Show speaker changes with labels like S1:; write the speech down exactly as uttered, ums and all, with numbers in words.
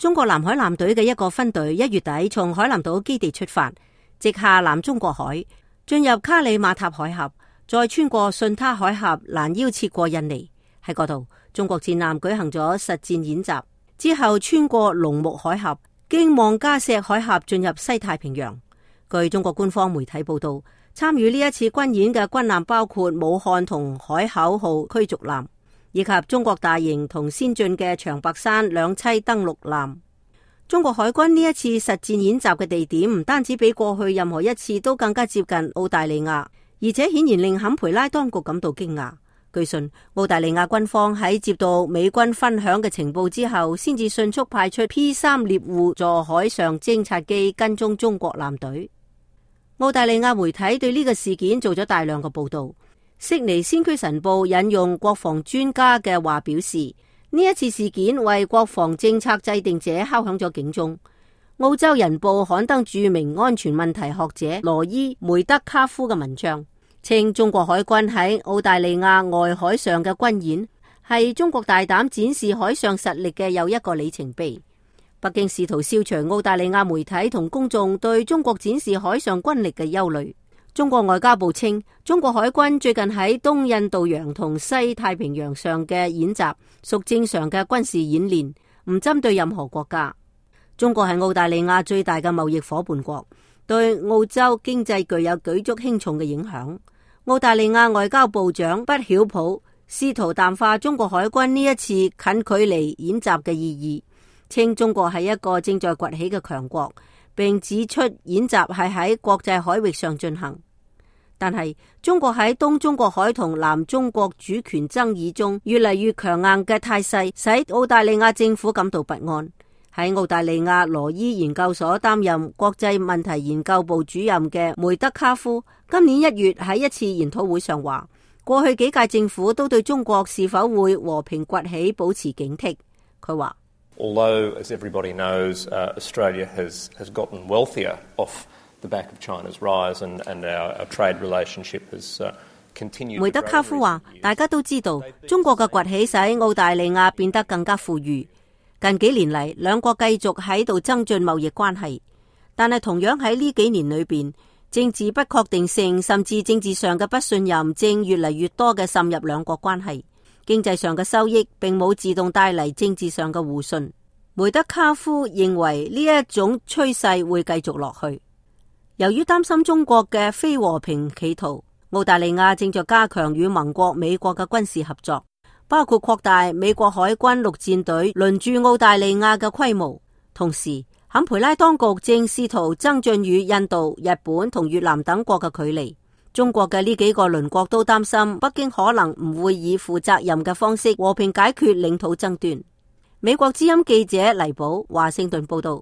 S1: 中國南海艦隊嘅一個分隊一月底從海南島基地出發，直下南中國海，進入卡里馬塔海峽，再穿過順他海峽，攔腰切過印尼。喺嗰度，中國戰艦舉行咗實戰演習，之後穿過龍目海峽，經望加石海峽進入西太平洋。據中國官方媒體報道，參與呢一次軍演嘅軍艦包括武漢同海口號驅逐艦，以及中國大型同先進嘅長白山兩棲登陸艦。中國海軍呢一次實戰演習嘅地點唔單止比過去任何一次都更加接近澳大利亞，而且顯然令坎培拉當局感到驚訝。據信，澳大利亞軍方喺接到美軍分享嘅情報之後，先至迅速派出 P 三獵戶座海上偵察機跟蹤中國艦隊。澳大利亞媒體對呢個事件做咗大量嘅報道。悉尼先驅晨報引用國防專家嘅話表示，呢一次事件為國防政策制定者敲響咗警鐘。澳洲人報刊登著名安全問題學者羅伊梅德卡夫嘅文章，稱中國海軍喺澳大利亞外海上嘅軍演係中國大膽展示海上實力嘅又一個里程碑。北京試圖消除澳大利亞媒體同公眾對中國展示海上軍力嘅憂慮。中國外交部稱，中國海軍最近喺東印度洋同西太平洋上嘅演習屬正常嘅軍事演練，唔針對任何國家。中國係澳大利亞最大嘅貿易夥伴國，對澳洲經濟具有舉足輕重嘅影響。澳大利亞外交部長畢曉普試圖淡化中國海軍呢一次近距離演習嘅意義，稱中國係一個正在崛起嘅強國，並指出演習係喺國際海域上進行。但係中國喺東中國海同南中國主權爭議中越嚟越強硬嘅態勢，使澳大利亞政府感到不安。喺澳大利亞羅伊研究所擔任國際問題研究部主任嘅梅德卡夫，今年一月喺一次研討會上話，過去幾屆政府都對中國是否會和平崛起保持警惕。佢話
S2: ，Although, as everybody knows, uh, Australia has has gotten wealthier off the back of China's rise, and and our, our trade relationship has uh, continued.
S1: 梅德卡夫話，大家都知道，中國嘅崛起使澳大利亞變得更加富裕。近幾年嚟，兩國繼續喺度增進貿易關係，但係同樣喺呢幾年裏邊，政治不確定性甚至政治上嘅不信任正越嚟越多嘅滲入兩國關係。經濟上嘅收益並冇自動帶嚟政治上嘅互信。梅德卡夫認為呢一種趨勢會繼續落去。由於擔心中國嘅非和平企圖，澳大利亞正在加強與盟國美國嘅軍事合作，包括擴大美國海軍陸戰隊輪駐澳大利亞嘅規模。同時，坎培拉當局正試圖增進與印度、日本同越南等國嘅距離。中國嘅呢幾個鄰國都擔心北京可能唔會以負責任嘅方式和平解決領土爭端。美國之音記者黎寶華盛頓報道。